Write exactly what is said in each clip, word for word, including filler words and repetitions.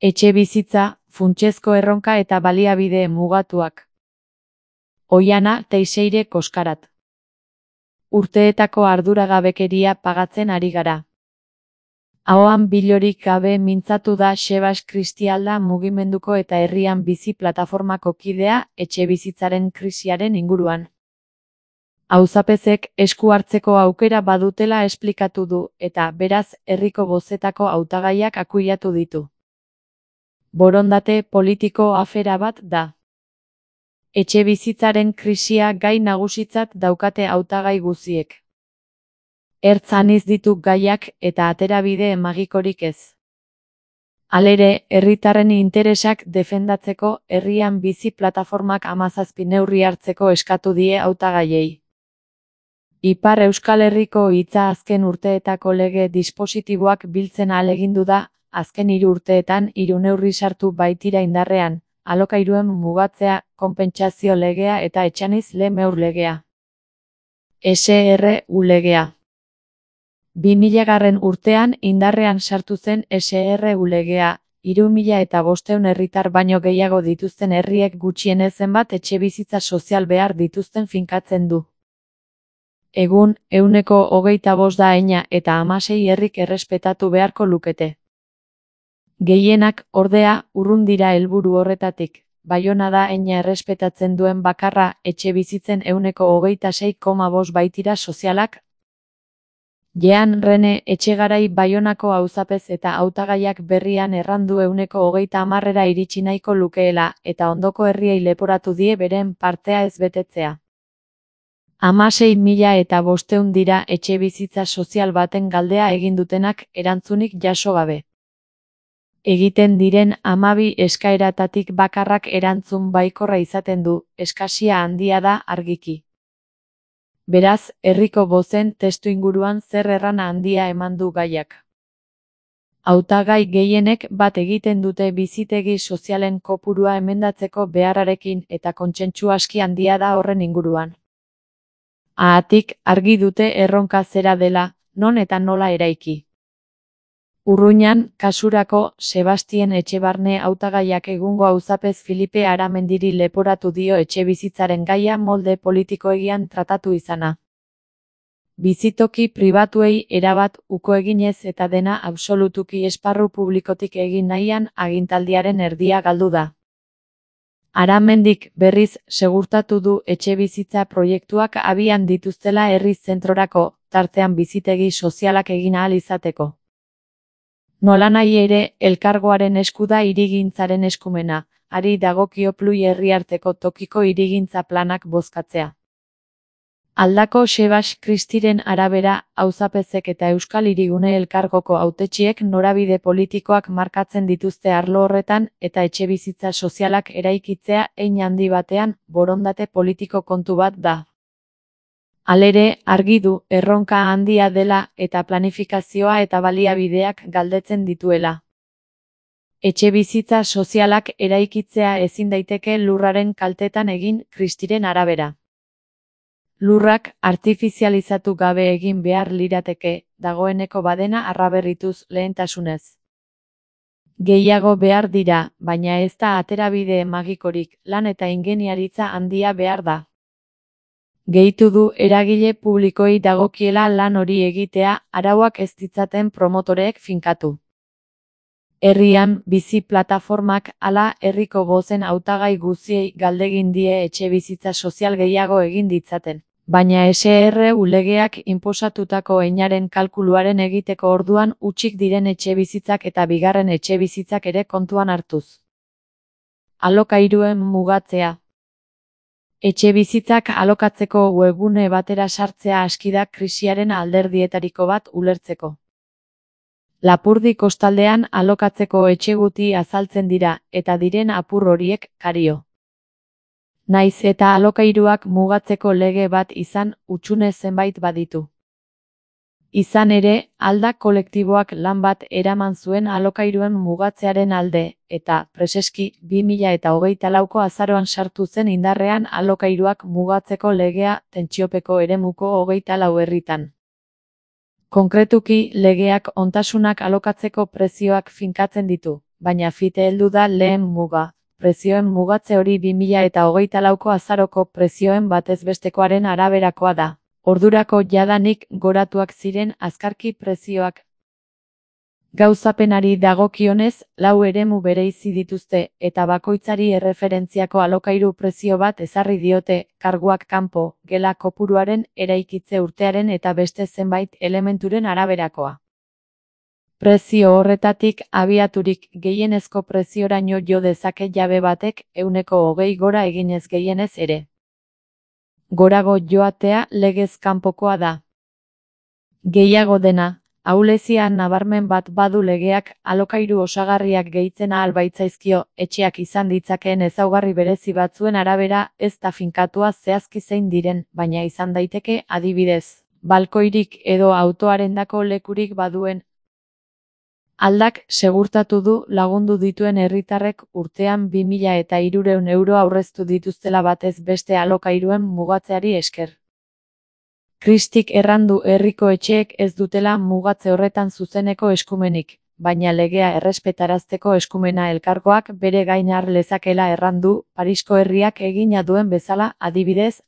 Etxebizitza, funtsezko erronka eta baliabide mugatuak. Oiana Teixeire Koskarat. Urteetako arduragabekeria pagatzen ari gara. Ahoan bilorik gabe mintzatu da Sebas Kristialda mugimenduko eta herrian bizi plataformako kidea etxebizitzaren krisiaren inguruan. Auzapezek esku hartzeko aukera badutela esplikatu du eta beraz herriko bozetako hautagaiak akuilatu ditu. Borondate politiko afera bat da. Etxebizitzaren krisia gai nagusitzat daukate hautagai guziek. Ertz aniz ditu gaiak eta aterabide magikorik ez. Halere, herritarren interesak defendatzeko herrian bizi plataformak hamazazpi neurri hartzeko eskatu die hautagaiei. Ipar Euskal Herriko hitza azken urteetako lege dispositiboak biltzen ahalegindu da, azken hiru urteetan hiru neurri sartu baitira indarrean, alokairuen mugatzea, konpentsazio legea eta etxaniz le meur legea. S R U legea. bi milagarren urtean indarrean sartu zen S R U legea, hiru mila eta bostehun herritar baino gehiago dituzten herriek gutxienez zenbat etxebizitza sozial behar dituzten finkatzen du. Egun, ehuneko hogeita bost da heina eta hamasei herrik errespetatu beharko lukete. Gehienak, ordea, urrun dira helburu horretatik. Baiona da heina errespetatzen duen bakarra, etxebizitzen ehuneko hogeita sei koma bost baitira sozialak. Jean Rene Etxegarai Baionako auzapez eta hautagaiak berrian errandu ehuneko hogeita hamarrera iritsi nahiko lukeela eta ondoko herriei leporatu die beren partea ez betetzea. Hamasei mila eta bostehun dira etxebizitza sozial baten galdea egin dutenak erantzunik jaso gabe. Egiten diren hamabi eskaeratatik bakarrak erantzun baikorra izaten du, eskasia handia da argiki. Beraz, herriko bozen testuinguruan zer errana handia eman du gaiak. Hautagai gehienek bat egiten dute bizitegi sozialen kopurua emendatzeko beharrarekin eta kontsentsu aski handia da horren inguruan. Haatik, argi dute erronka zera dela, non eta nola eraiki. Urruñan, kasurako, Sebastien Etxebarne hautagaiak egungo auzapez Filipe Aramendiri leporatu dio etxebizitzaren gaia molde politikoegian tratatu izana. Bizitoki pribatuei erabat uko eginez eta dena absolutuki esparru publikotik egin nahian agintaldiaren erdia galdu da. Aramendik, berriz, segurtatu du etxebizitza proiektuak abian dituztela herri zentrorako, tartean bizitegi sozialak egin ahal izateko. Nolanahi ere, elkargoaren esku da hirigintzaren eskumena, hari dagokio plui herriarteko tokiko hirigintza planak bozkatzea. Aldako Sebas Kristiren arabera, auzapezek eta Euskal Hirigune Elkargoko hautetsiek norabide politikoak markatzen dituzte arlo horretan eta etxebizitza sozialak eraikitzea hein handi batean borondate politiko kontu bat da. Halere, argi du, erronka handia dela eta planifikazioa eta baliabideak galdetzen dituela. Etxebizitza sozialak eraikitzea ezin daiteke lurraren kaltetan egin, Kristiren arabera. Lurrak artifizializatu gabe egin behar lirateke, dagoeneko badena arraberrituz lehentasunez. Gehiago behar dira, baina ez da aterabide magikorik, lan eta ingeniaritza handia behar da. Gehitu du eragile publikoei dagokiela lan hori egitea, arauak ez ditzaten promotoreek finkatu. Herrian, bizi plataformak hala herriko bozen hautagai guziei galdegin die etxebizitza sozial gehiago egin ditzaten. Baina S R U legeak inposatutako heinaren kalkuluaren egiteko orduan hutsik diren etxebizitzak eta bigarren etxebizitzak ere kontuan hartuz. Alokairuen mugatzea. Etxebizitzak alokatzeko webgune batera sartzea aski da krisiaren alderdietariko bat ulertzeko. Lapurdi kostaldean alokatzeko etxeguti azaltzen dira, eta diren apur horiek kario. Naiz eta alokairuak mugatzeko lege bat izan, hutsune zenbait baditu. Izan ere, alda kolektiboak lan bat eraman zuen alokairuen mugatzearen alde, eta, preseski, bi mila eta hogeita lauko azaroan sartu zen indarrean alokairuak mugatzeko legea tentsiopeko eremuko hogeita lau herritan. Konkretuki, legeak ontasunak alokatzeko prezioak finkatzen ditu, baina fite heldu da lehen muga. Prezioen mugatze hori bi mila eta hogeita lauko azaroko prezioen batezbestekoaren araberakoa da. Ordurako jadanik goratuak ziren azkarki prezioak. Gauzapenari dagokionez, lau eremu bereizi dituzte, eta bakoitzari erreferentziako alokairu prezio bat ezarri diote, karguak kanpo, gela kopuruaren, eraikitze urtearen eta beste zenbait elementuren araberakoa. Prezio horretatik abiaturik gehienezko prezioraino jo dezake jabe batek ehuneko hogei gora eginez gehienez ere. Gorago joatea legez kanpokoa da. Gehiago dena, ahulezia nabarmen bat badu legeak alokairu osagarriak gehitzen ahal baitzaizkio, etxeak izan ditzakeen ezaugarri berezi batzuen arabera ez da finkatua zehazki zein diren, baina izan daiteke adibidez, balkoirik edo autoarendako lekurik baduen. Aldak segurtatu du lagundu dituen herritarrek urtean bi mila eta hirurehun euro aurreztu dituztela batez beste alokairuen mugatzeari esker. Kristik errandu herriko etxeek ez dutela mugatze horretan zuzeneko eskumenik, baina legea errespetarazteko eskumena elkargoak bere gain har lezakela errandu, Parisko herriak egina duen bezala, adibidez.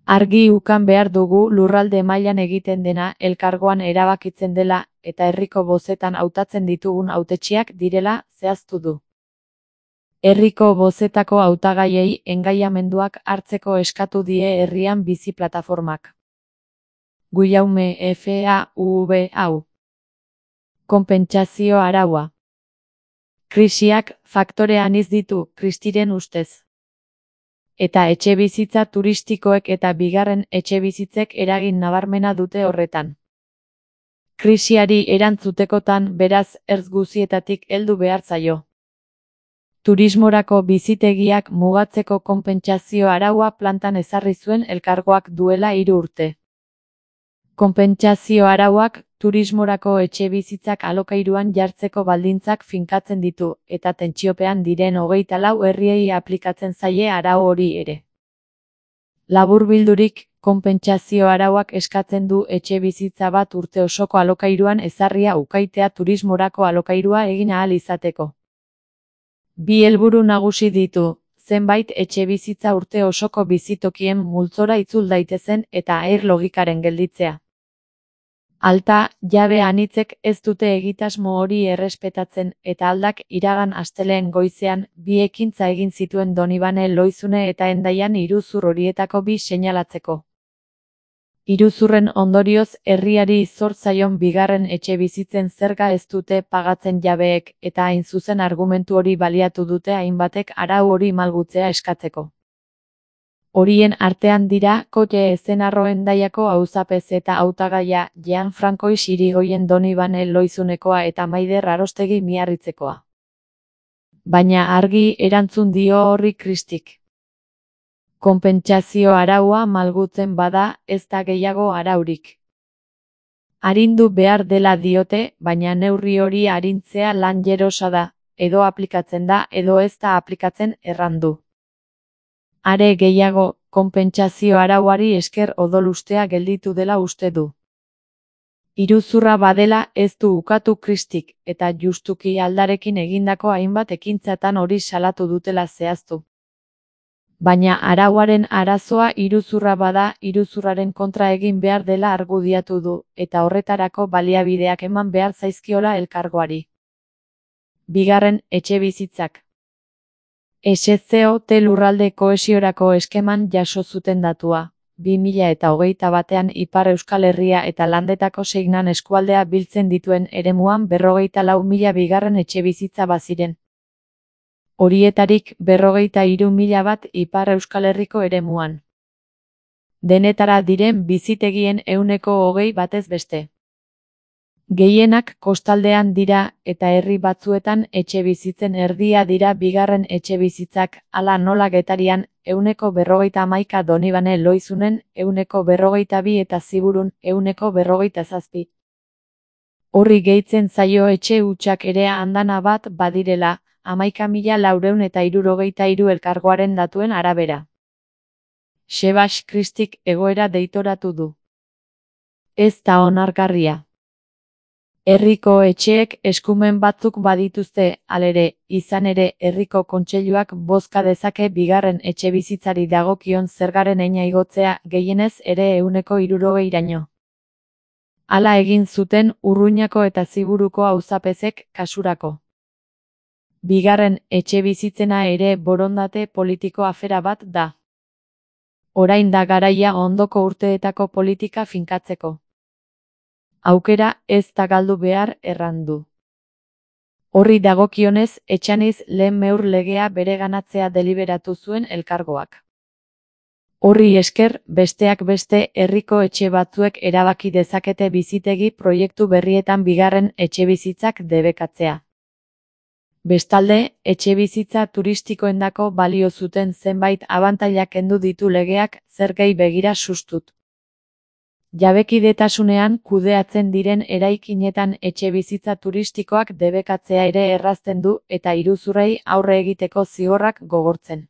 Argi ukan behar dugu lurralde mailan egiten dena elkargoan erabakitzen dela, eta herriko bozetan hautatzen ditugun hautetsiak direla zehaztu du. Herriko bozetako hautagaiei engaiamenduak hartzeko eskatu die herrian bizi plataformak. Guillaume F A U B hau. Konpentsazio araua. Krisiak faktore anitz ditu, Kristiren ustez. Eta etxebizitza turistikoek eta bigarren etxebizitzek eragin nabarmena dute horretan. Krisiari erantzutekotan beraz ertz guzietatik heldu behar zaio. Turismorako bizitegiak mugatzeko konpentsazio araua plantan ezarri zuen elkargoak duela hiru urte. Konpentsazio arauak turismorako etxebizitzak alokairuan jartzeko baldintzak finkatzen ditu, eta tentsiopean diren hogeita lau herriei aplikatzen zaie arau hori ere. Laburbildurik, konpentsazio arauak eskatzen du etxebizitza bat urte osoko alokairuan ezarria ukaitea turismorako alokairua egin ahal izateko. Bi helburu nagusi ditu, zenbait etxebizitza urte osoko bizitokien multzora itzul daitezen eta air logikaren gelditzea. Alta, jabe anitzek ez dute egitasmo hori errespetatzen eta aldak iragan astelehen goizean bi ekintza egin zituen Donibane Lohizune eta Hendaian iruzur horietako bi seinalatzeko. Iruzurren ondorioz herriari zor zaion bigarren etxebizitzen zerga ez dute pagatzen jabeek eta hain zuzen argumentu hori baliatu dute hainbatek arau hori malgutzea eskatzeko. Horien artean dira Kote Ezenarro Hendaiako auzapez eta hautagaia Jean Francois Irigoyen Donibane Lohizunekoa eta Maider Arostegi Miarritzekoa. Baina argi erantzun dio horri Kristik. Konpentsazio araua malgutzen bada ez da gehiago araurik. Arindu behar dela diote, baina neurri hori arintzea lan jerosa da, edo aplikatzen da edo ez da aplikatzen errandu. Are gehiago, konpentsazio arauari esker odolustea gelditu dela uste du. Iruzurra badela ez du ukatu Kristik, eta justuki aldarekin egindako hainbat ekintzatan hori salatu dutela zehaztu. Baina arauaren arazoa iruzurra bada iruzurraren kontra egin behar dela argudiatu du, eta horretarako baliabideak eman behar zaizkiola elkargoari. Bigarren etxebizitzak. S C O T lurralde kohesiorako eskeman jaso zuten datua, bi mila eta hogeita batean Ipar Euskal Herria eta Landetako Seignan eskualdea biltzen dituen eremuan berrogeita lau mila bigarren etxebizitza baziren. Horietarik berrogeita hiru mila bat Ipar Euskal Herriko eremuan. Denetara diren bizitegien ehuneko hogei batez beste. Gehienak kostaldean dira eta herri batzuetan etxebizitzen erdia dira bigarren etxebizitzak, hala nola Getarian, ehuneko berrogeita hamaika Donibane Lohizunen, ehuneko berrogeita bi eta Ziburun, ehuneko berrogeita zazpi. Horri gehitzen zaio etxe hutsak ere andana bat badirela, hamaika mila laurehun eta hirurogeita hiru elkargoaren datuen arabera. Sebas Kristik egoera deitoratu du. Ez da onargarria. Herriko etxeek eskumen batzuk badituzte, halere, izan ere, herriko kontseiluak bozka dezake bigarren etxebizitzari dagokion zergaren heina igotzea, gehienez ere ehuneko hirurogeiraino. Hala egin zuten Urruñako eta Ziburuko auzapezek kasurako. Bigarren etxebizitzena ere borondate politiko afera bat da. Orain da garaia ondoko urteetako politika finkatzeko. Aukera ez da galdu behar errandu. Horri dagokionez, Etxaniz lehen meur legea bereganatzea deliberatu zuen elkargoak. Horri esker, besteak beste, herriko etxe batzuek erabaki dezakete bizitegi proiektu berrietan bigarren etxebizitzak debekatzea. Bestalde, etxebizitza turistikoendako balio zuten zenbait abantailak kendu ditu legeak, zergei begira sustut. Jabekidetasunean kudeatzen diren eraikinetan etxebizitza turistikoak debekatzea ere errazten du eta iruzurrei aurre egiteko zigorrak gogortzen.